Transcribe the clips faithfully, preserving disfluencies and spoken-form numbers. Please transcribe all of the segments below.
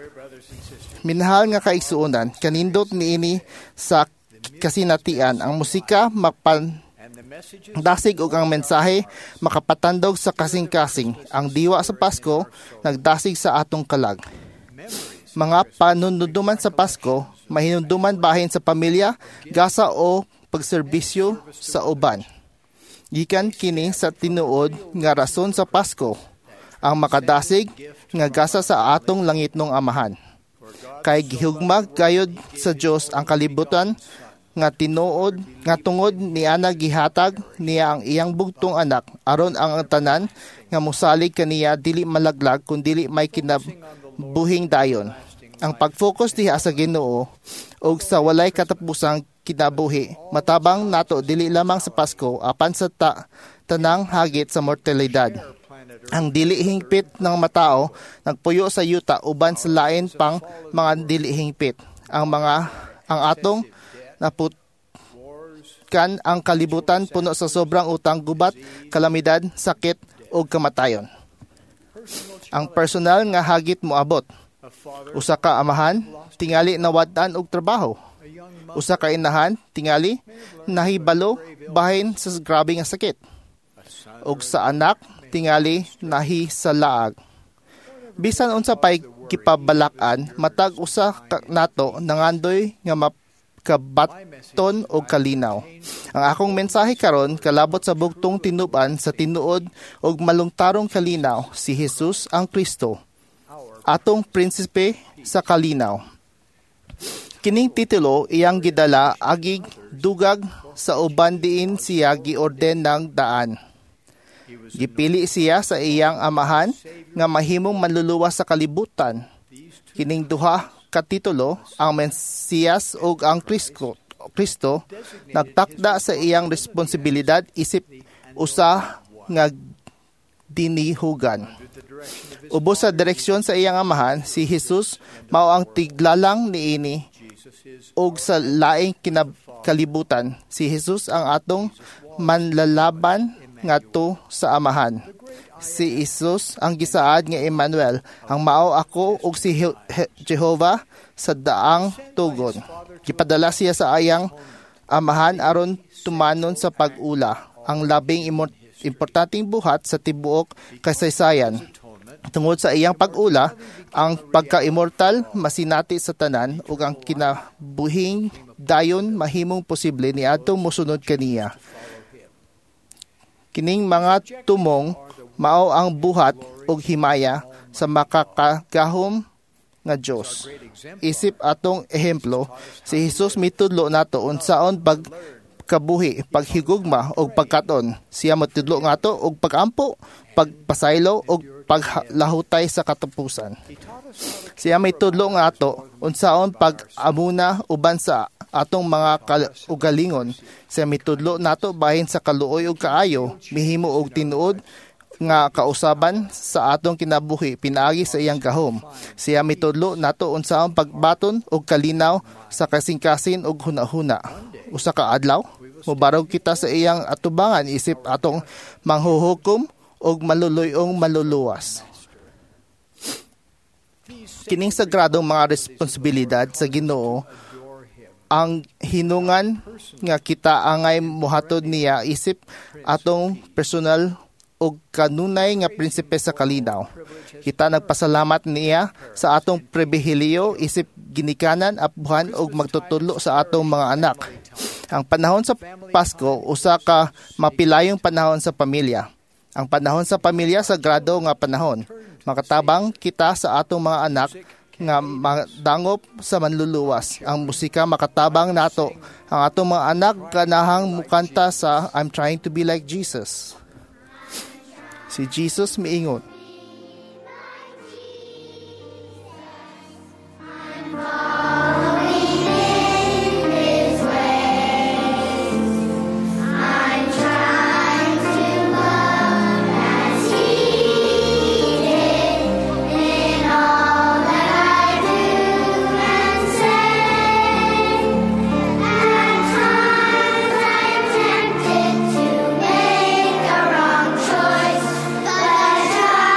Dear brothers and sisters, Minahal nga kaigsuonan, kanindot niini sa kasinatian ang musika mapan and the messages dasig ug ang mensahe makapatandog sa kasing-kasing. Ang diwa sa Pasko nagdasig sa atong kalag. memories Mga panunduman sa Pasko mahinumduman bahin sa pamilya, gasa o pagserbisyo sa uban. Gikan kini sa tinuod nga rason sa Pasko, ang makadasig nga gasa sa atong langitnong Amahan. Kay gihugma gayod sa Dios ang kalibutan nga tinuod nga tungod niana gihatag niya ang iyang bugtong anak aron ang tanan nga mosalig kaniya dili malaglag kun dili may kinabuhing dayon. Ang pag-focus diha sa Ginoo ug sa walay katapusang kinabuhi matabang nato dili lamang sa Pasko apan sa ta- tanang hagit sa mortalidad. planet Earth Ang dili hingpit ng matao nagpuyo sa yuta uban sa lain pang mga dili hingpit. Ang mga ang atong naputkan wars, ang kalibutan puno sa sobrang utang, gubat, kalamidad, sakit ug kamatayon. personal Ang personal nga hagit moabot. a father, Usa ka amahan tingali nawad-an og trabaho. a young mother, Usa ka inahan tingali nahibalo bahin sa grabe nga sakit. a son, Ug sa anak tingali nahisalaag. Bisan unsa pay kipabalak-an, matag usa ka nato nangandoy nga makabaton og kalinaw. Ang akong mensahe karon kalabot sa bugtong tinub-an sa tinuod og malungtarong kalinaw, si Jesus ang Kristo, our atong prinsipe sa kalinaw. Kining titulo iyang gidala agig dugag sa uban diin siya giorden ng daan. he was Gipili siya sa iyang amahan nga mahimong manluluwas sa kalibutan. these two Kining duha ka titulo, ang Mesiyas ug ang Kristo, Kristo nagtakda sa iyang responsibilidad isip usa nga dinihugan. under the direction of his Ubos sa direksyon sa iyang amahan, si Jesus mao ang tiglalang niini Jesus is ug sa laing kinab- kalibutan. Si Jesus ang atong manlalaban ngadto sa amahan. Si Jesus ang gisaad nga Emmanuel, ang mao ako ug si He- He- Jehovah sa daang tugon. Gipadala siya sa ayang amahan aron tumanon sa pag-ula, ang labing imo- importanteng buhat sa tibuok kasaysayan. atonement Tungod sa iyang pag-ula, ang pagka-immortal masinati sa tanan ug ang kinabuhing dayon mahimong posible niadtong mosunod kaniya. Kining mga tumong mao ang buhat ug himaya sa makakagahom nga Dios. great exemplar Isip atong ehemplo, si Jesus mitudlo nato unsaon pag kabuhi, paghigugma ug pagkaton. Siya motudlo ngato og pagampo, pagpasaylo ug paglahutay sa katapusan. he taught us how to Siya may tudlo nga ato unsaon pag-amuna uban sa atong mga kaugalingon. Siya mitudlo nato bahin sa kaluoy ug kaayo, mihimo og tinuod nga kausaban sa atong kinabuhi pinaagi sa iyang gahom. Siya mitudlo nato unsaon pagbaton og kalinaw sa kasing-kasin ug hunahuna. Usa ka adlaw, mobarog kita sa iyang atubangan isip atong manghuhukom ug maluluy-ong maluluwas. these Kining sagradong mga responsibilidad sa Ginoo adore him ang hinungan nga kita angay mohatod niya isip atong personal ug kanunay nga prinsipe sa kalinaw. Kita nagpasalamat niya sa atong pribilehiyo isip ginikanan, apuhan ug magtutudlo sa atong mga anak. Ang panahon sa Pasko usa ka mapilayong panahon sa pamilya. Ang panahon sa pamilya sagrado nga panahon. Makatabang kita sa atong mga anak nga madangop sa manluluwas. Ang musika makatabang nato. Ang atong mga anak ganahang mukanta sa I'm trying to be like Jesus. Si Jesus miingon, Tempted to make a wrong choice, but I try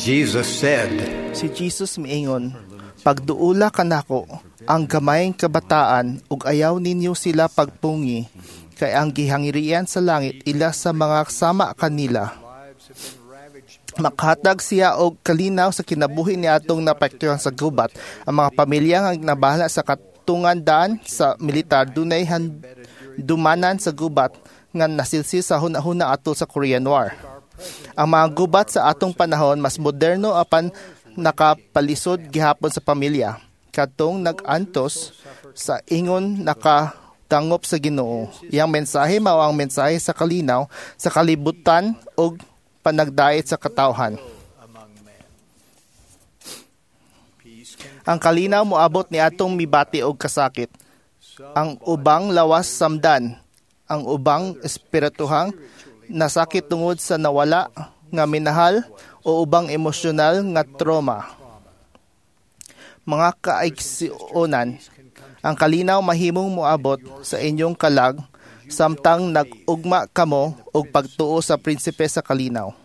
Jesus said, Si Jesus miingon, "Pagduula kanako ang gamayng kabataan ug ayaw ninyo sila pagpungi, kay ang gihangirian sa langit ila sa mga sama kanila." Makahatag siya og kalinaw sa kinabuhi ni atong naapektuhan sa gubat. Ang mga pamilya nga nabahala sa katungdanan sa militar dunay handumanan sa gubat nga nasilsil sa hunahuna atol sa Korean War. Ang mga gubat sa atong panahon mas moderno apan nakapalisod gihapon sa pamilya. Katong nag-antos sa ingon nakadangop sa Ginoo. Iyang mensahe mao ang mensahe sa kalinaw sa kalibutan ug panagdait sa katawhan. Among men. Peace can Ang kalinaw moabot ni atong mibati og kasakit. Ang ubang lawas samdan, ang ubang espirituhang nasakit tungod sa nawala nga minahal o ubang emosyonal nga trauma. Mga kaigsuonan, ang kalinaw mahimong moabot sa inyong kalag samtang nag-ugma kamo og pagtuo sa prinsipe sa kalinaw.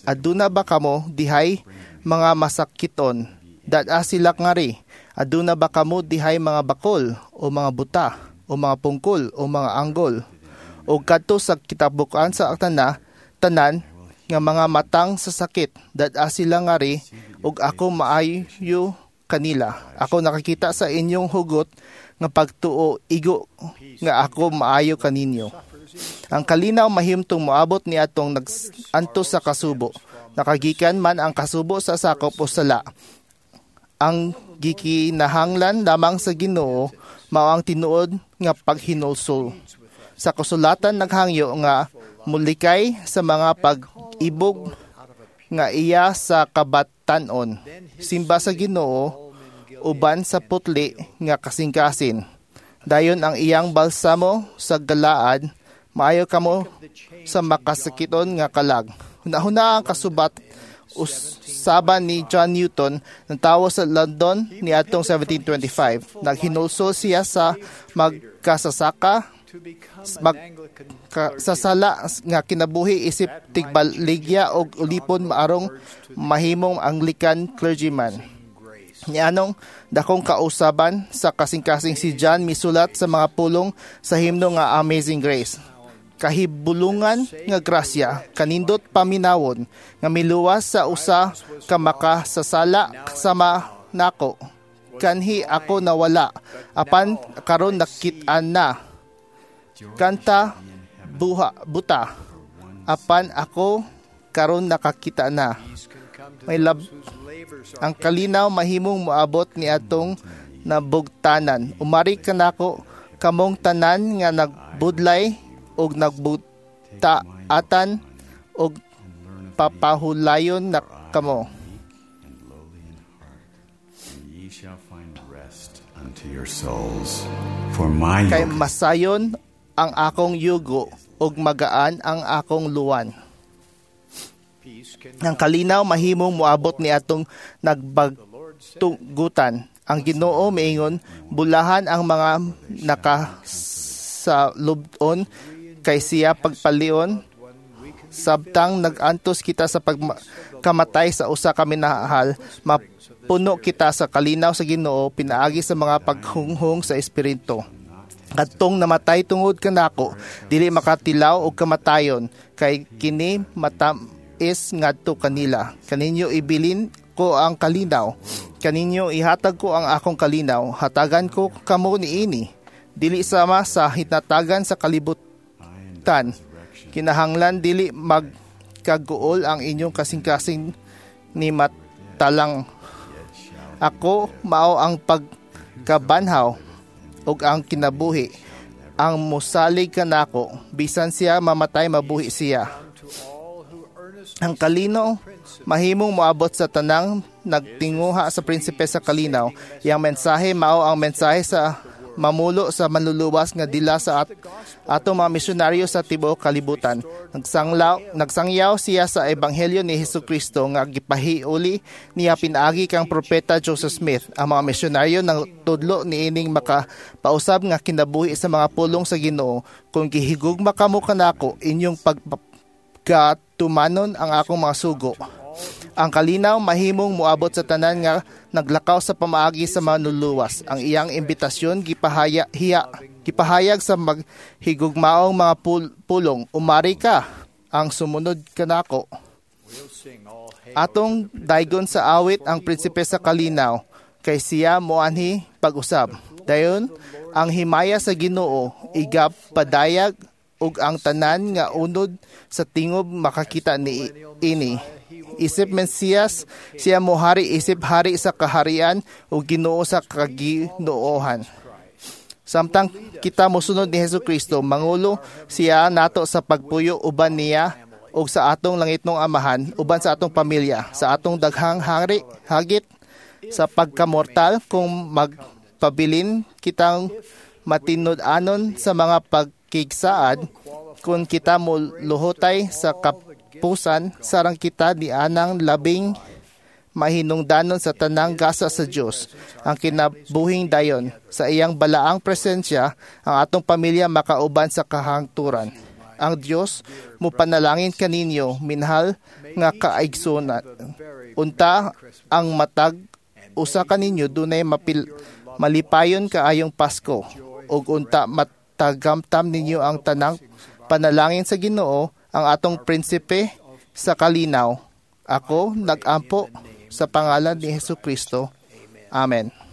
Aduna ba kamo dihay mga masakiton? Dad-a sila ngari. Aduna ba kamo dihay mga bakol o mga buta o mga pungkol o mga anggol? O kadto sa kitabukan sa tana, tanan nga mga matang sa sakit, dad-a sila ngari ug ako maayo kanila. Ako nakakita sa inyong hugot nga pagtuo, igo nga ako maayo kaninyo. Ang kalinaw mahimtong moabot ni atong nag-antos sa kasubo. Nakagikan man ang kasubo sa sakop o sala. Ang gikinahanglan lamang sa Ginoo mao ang tinuod nga paghinulsol. Sa kasulatan naghangyo nga mulikay sa mga pag-ibog nga iya sa kabatan-on. Simba sa Ginoo uban sa putli nga kasing-kasin. Dayon ang iyang balsamo sa Galaad, maayo kamo sa makasakiton nga kalag. Hunahuna ang kasubat usaban ni John Newton ng tawo sa London niadtong seventeen twenty-five. Naghinulsol siya sa magkasasaka to become an mag- Anglican ka, sa sala nga kinabuhi isip tigbaligya og ulipon maarong mahimong Anglican clergyman. Grace. Nianong dakong kausaban sa kasing-kasing, si John misulat sa mga pulong sa himno nga Amazing Grace. Kahibulungan nga grasya, kanindot paminawon, nga miluwas sa usa ka makasasala sama nako. Kanhi ako nawala, apan karon nakit-an na. Kanta buha buta, apan ako karon nakakita na. Peace can come to May lab those whose labors are Ang kalinaw mahimong moabot ni atong nabugtanan. Umari kanako kamong tanan nga nagbudlay ug nagbuta-atan ug papahulayon na kamo. And lowly in heart, and ye shall find rest unto your souls. For my Kay yoke is masayon ang akong yugo ug magaan ang akong luwan. Peace can Ang kalinaw mahimong moabot ni atong The Lord said, nagbagtugutan. Ang Ginoo miingon, bulahan ang mga nakasalubon kay siya pagpalion one we can sabtang nag-antos kita sa pagkamatay sa usa ka minahal, mapuno kita sa kalinaw sa Ginoo pinaagi sa mga paghunghong sa Espiritu. Kadtong namatay tungod kanako dili makatilaw og kamatayon, kay kini matam-is ngadto kanila. Kaninyo ibilin ko ang kalinaw. Kaninyo ihatag ko ang akong kalinaw. Hatagan ko kamo niini. Dili sama sa hinatagan sa kalibutan. Kinahanglan dili magkaguol ang inyong kasing-kasing ni matalang. Ako mao ang pagkabanhaw ug ang kinabuhi. Ang mosalig kanako, bisan siya mamatay, mabuhi siya. To all who earnestly Ang kalinaw mahimong moabot sa tanang nagtinguha sa prinsipe sa kalinaw. Iyang mensahe mao ang mensahe sa mamulo sa manluluwas nga dila sa at, atong mga misyonaryo sa tibuok kalibutan. Nagsanglaw, nagsangyaw siya sa ebanghelyo ni Hesus Kristo nga gipahiuli niya pinaagi kang propeta Joseph Smith. Ang mga misyonaryo nang tudlo niining makapausab nga kinabuhi sa mga pulong sa Ginoo. Kung gihigugma kamo kanako, inyong pagkatumanon ang akong mga sugo. Ang kalinaw mahimong moabot sa tanan nga naglakaw sa pamaagi sa manluluwas. Ang iyang imbitasyon gipahaya hiya, gipahayag sa maghigugmaong mga pul- pulong, "Umari ka, ang sumunod kanako." We'll sing all hail Atong daygon sa awit ang prinsipe sa kalinaw, kay siya moanhi pag-usab. Dayon, ang himaya sa Ginoo igap padayag ug ang tanan nga unod sa tingob makakita ni ini. Isip Mesiyas, siya mohari isip hari sa kaharian ug Ginoo sa kaginoohan. Samtang kita mosunod ni Hesus Kristo, mangulo siya nato sa pagpuyo uban niya ug sa atong langitnong Amahan, uban sa atong pamilya, sa atong daghang hari, hagit sa pagkamortal kung magpabilin kitang matinud-anon sa mga pagkigsaad, kung kita moluhotay sa kapusan, sarang kita ni anang labing mahinungdanon sa tanang gasa sa Dios ang kinabuhing dayon. Sa iyang balaang presensya, ang atong pamilya makauban sa kahangturan. Ang Dios mopanalangin kaninyo, minahal nga kaigsunan. Unta ang matag usa kaninyo dunay mapil, malipayon kaayong Pasko ug unta matagamtam ninyo ang tanang panalangin sa Ginoo, ang atong prinsipe sa kalinaw. Ako nagampo sa pangalan ni Hesus Kristo. Amen.